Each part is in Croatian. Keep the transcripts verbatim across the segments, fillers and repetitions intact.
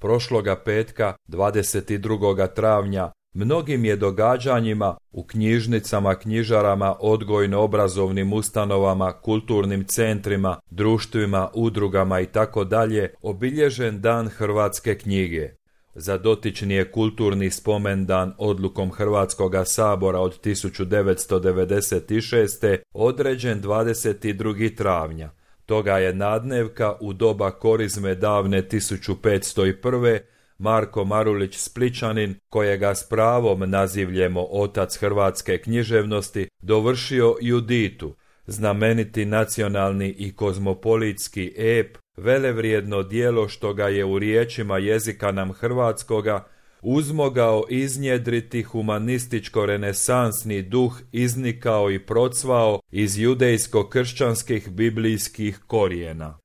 prošloga petka dvadeset drugog travnja mnogim je događanjima u knjižnicama, knjižarama, odgojno-obrazovnim ustanovama, kulturnim centrima, društvima, udrugama itd. Obilježen dan hrvatske knjige. Za dotični je kulturni spomendan odlukom Hrvatskoga sabora od tisuću devetsto devedeset šeste. određen dvadeset drugog travnja. Toga je nadnevka u doba korizme davne tisuću petsto prve. Marko Marulić Splićanin, kojega s pravom nazivljemo otac hrvatske književnosti, dovršio Juditu, znameniti nacionalni i kozmopolitski ep, velevrijedno djelo što ga je u riječima jezika nam hrvatskoga uzmogao iznjedriti humanističko-renesansni duh, iznikao i procvao iz judejsko-kršćanskih biblijskih korijena.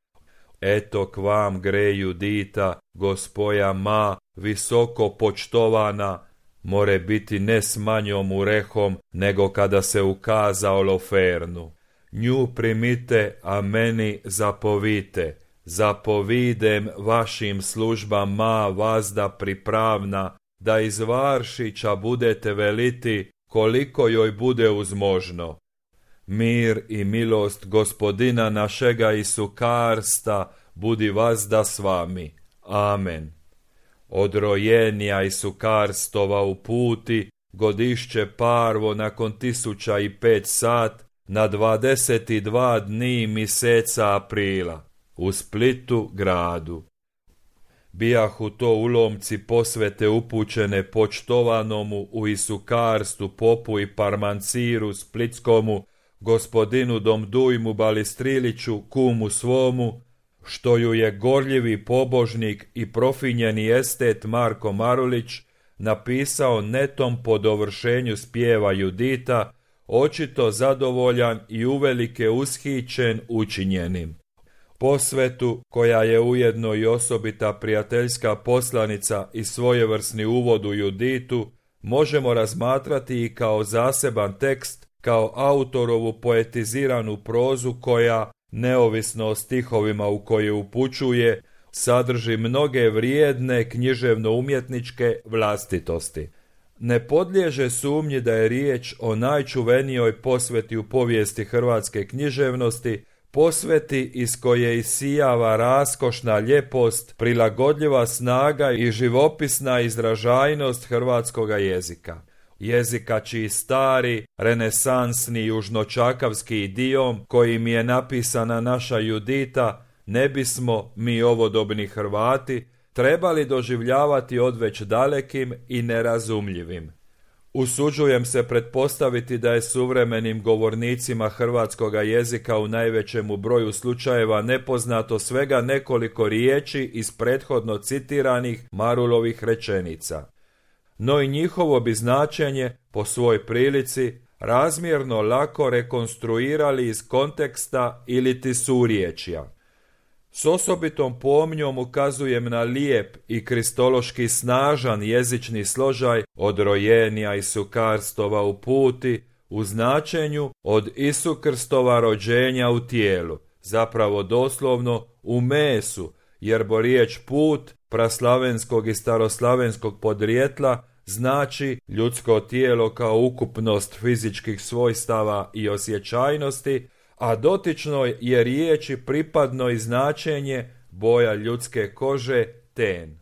Eto k vam gre Judita, gospoja ma, visoko počtovana, more biti ne s manjom urehom, nego kada se ukaza Olofernu. Nju primite, a meni zapovite. Zapovidem vašim službama vazda pripravna, da iz Varšića budete veliti koliko joj bude uzmožno. Mir i milost gospodina našega Isukarsta budi vazda s vami. Amen. Od rojenja Isukarstova u puti, godišće parvo nakon tisuća i pet sat, na dvadeset dva dni miseca aprila, u Splitu gradu. Bijahu to ulomci posvete upućene počtovanomu u Isukarstu popu i parmanciru splitskomu, gospodinu Domdujmu Balistriliću, kumu svomu, što ju je gorljivi pobožnik i profinjeni estet Marko Marulić napisao netom po dovršenju spjeva Judita, očito zadovoljan i uvelike ushićen učinjenim. Posvetu, koja je ujedno i osobita prijateljska poslanica i svojevrsni uvod u Juditu, možemo razmatrati i kao zaseban tekst, kao autorovu poetiziranu prozu koja, neovisno o stihovima u koje upućuje, sadrži mnoge vrijedne književno-umjetničke vlastitosti. Ne podliježe sumnji da je riječ o najčuvenijoj posveti u povijesti hrvatske književnosti, posveti iz koje isijava raskošna ljepost, prilagodljiva snaga i živopisna izražajnost hrvatskoga jezika. Jezika čiji stari, renesansni južnočakavski idiom kojim je napisana naša Judita ne bismo, mi ovodobni Hrvati, trebali doživljavati odveć dalekim i nerazumljivim. Usuđujem se pretpostaviti da je suvremenim govornicima hrvatskoga jezika u najvećemu broju slučajeva nepoznato svega nekoliko riječi iz prethodno citiranih Marulovih rečenica. No i njihovo bi značenje, po svoj prilici, razmjerno lako rekonstruirali iz konteksta iliti surječja. S osobitom pomnjom ukazujem na lijep i kristološki snažan jezični složaj od rojenja Isukarstova u puti, u značenju od Isukrstova rođenja u tijelu, zapravo doslovno u mesu, jer bo riječ put praslavenskog i staroslavenskog podrijetla znači ljudsko tijelo kao ukupnost fizičkih svojstava i osjećajnosti, a dotičnoj je riječi pripadno i značenje boja ljudske kože ten.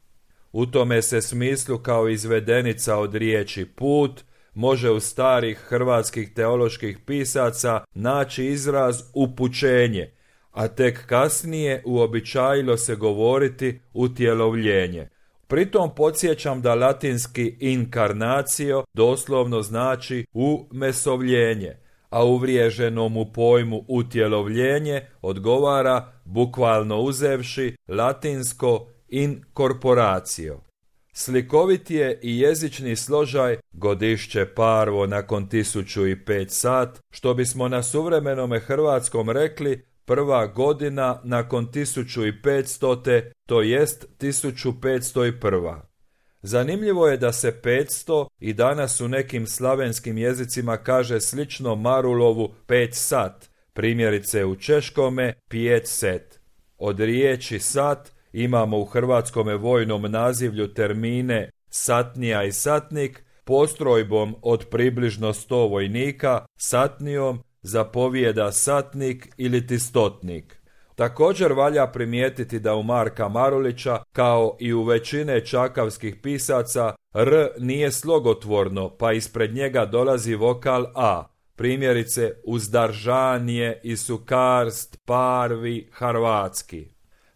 U tome se smislu kao izvedenica od riječi put može u starih hrvatskih teoloških pisaca naći izraz upućenje, a tek kasnije uobičajilo se govoriti utjelovljenje. Pritom podsjećam da latinski incarnatio doslovno znači umesovljenje, a uvriježenom u pojmu utjelovljenje odgovara, bukvalno uzevši, latinsko incorporatio. Slikovit je i jezični složaj godišće parvo nakon tisuću i pet sat, što bismo na suvremenome hrvatskom rekli prva godina nakon tisuću i petstote, to jest tisuću petsto prva. Zanimljivo je da se petsto i danas u nekim slavenskim jezicima kaže slično Marulovu pet sat, primjerice u češkome pjet set. Od riječi sat imamo u hrvatskome vojnom nazivlju termine satnija i satnik, postrojbom od približno sto vojnika, satnijom zapovijeda satnik ili ti stotnik. Također valja primijetiti da u Marka Marulića, kao i u većine čakavskih pisaca, R nije slogotvorno, pa ispred njega dolazi vokal A. Primjerice, uzdaržanje i sukarst, parvi, harvatski.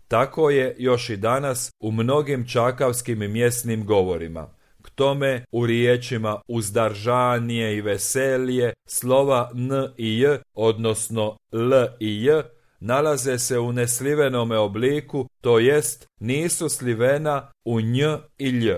Tako je još i danas u mnogim čakavskim mjesnim govorima. K tome u riječima uzdaržanje i veselje slova N i J, odnosno L i J, nalaze se u neslivenome obliku, to jest nisu slivena u nj i lj.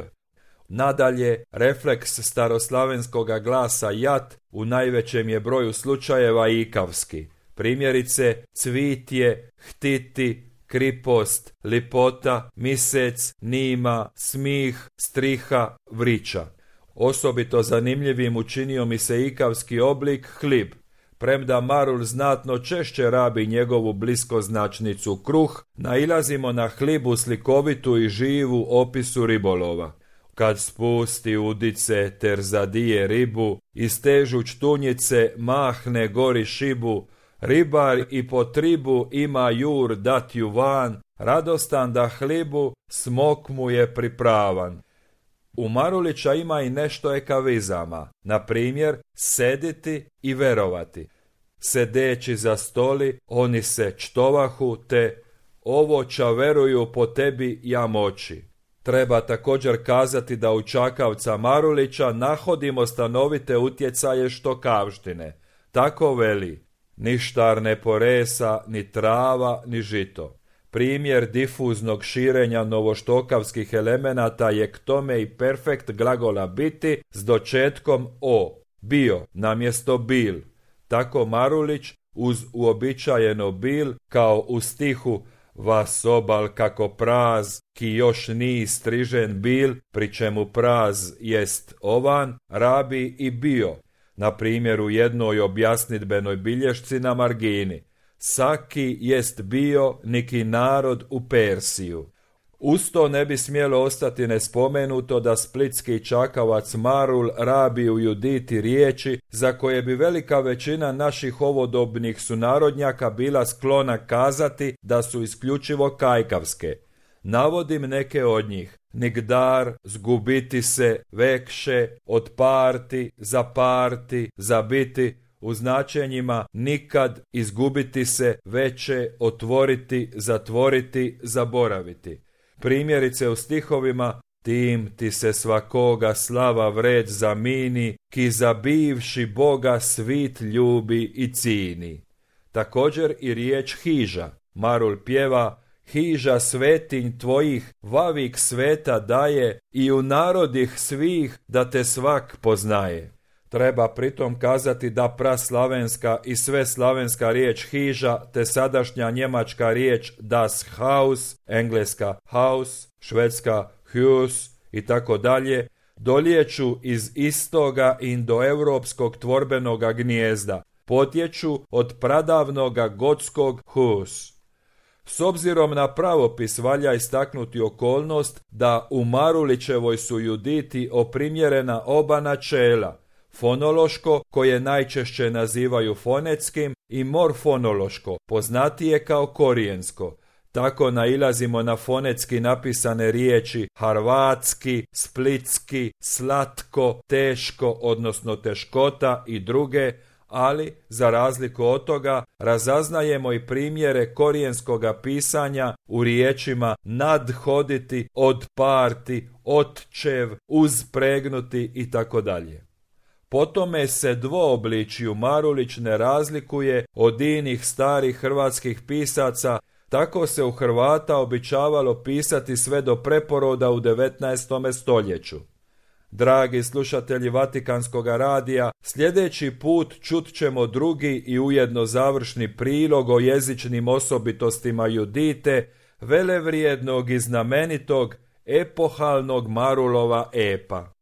Nadalje, refleks staroslavenskoga glasa jat u najvećem je broju slučajeva ikavski. Primjerice, cvitje, htiti, kripost, lipota, misec, nima, smih, striha, vrića. Osobito zanimljivim učinio mi se ikavski oblik hlib. Premda Marul znatno češće rabi njegovu bliskoznačnicu kruh, nailazimo na hlibu slikovitu i živu opisu ribolova. Kad spusti udice ter zadije ribu, istežuć tunjice mahne gori šibu, ribar i po tribu ima jur dat ju van, radostan da hlibu, smok mu je pripravan. U Marulića ima i nešto ekavizama, na primjer sediti i verovati. Sedeći za stoli, oni se čtovahu, te ovo ča veruju po tebi ja moći. Treba također kazati da u Čakavca Marulića nahodimo stanovite utjecaje štokavštine. Tako veli, ništar ne poresa, ni trava, ni žito. Primjer difuznog širenja novoštokavskih elemenata je k tome i perfekt glagola biti s dočetkom o, bio namjesto bil. Tako Marulić uz uobičajeno bil, kao u stihu vas obal kako praz, ki još ni strižen bil, pri čemu praz jest ovan, rabi i bio. Na primjer u jednoj objasnidbenoj bilješci na margini. Saki jest bio niki narod u Persiju. Usto ne bi smjelo ostati nespomenuto da splitski čakavac Marul rabi u Juditi riječi za koje bi velika većina naših ovodobnih sunarodnjaka bila sklona kazati da su isključivo kajkavske. Navodim neke od njih. Nigdar, zgubiti se, vekše, odparti, zaparti, zabiti, u značenjima nikad, izgubiti se, veće, otvoriti, zatvoriti, zaboraviti. Primjerice u stihovima tim ti se svakoga slava vred zamini, ki zabivši Boga svit ljubi i cini. Također i riječ hiža. Marul pjeva hiža svetinj tvojih, vavik sveta daje i u narodih svih da te svak poznaje. Treba pritom kazati da praslavenska i sve slavenska riječ hiža te sadašnja njemačka riječ das Haus, engleska house, švedska hus i tako dalje, doliječu iz istoga indoeuropskog tvorbenoga gnijezda, potječu od pradavnoga gotskog hus. S obzirom na pravopis valja istaknuti okolnost da u Marulićevoj su Juditi oprimjerena oba načela, fonološko, koje najčešće nazivaju fonetskim, i morfonološko, poznatije kao korijensko. Tako nailazimo na fonetski napisane riječi harvatski, splitski, slatko, teško, odnosno teškota i druge, ali, za razliku od toga, razaznajemo i primjere korijenskoga pisanja u riječima nadhoditi, odparti, otčev, uzpregnuti i tako dalje. Po tome se dvoobličju Marulić ne razlikuje od inih starih hrvatskih pisaca, tako se u Hrvata običavalo pisati sve do preporoda u devetnaestom stoljeću. Dragi slušatelji Vatikanskog radija, sljedeći put čut ćemo drugi i ujedno završni prilog o jezičnim osobitostima Judite, velevrijednog i znamenitog epohalnog Marulova epa.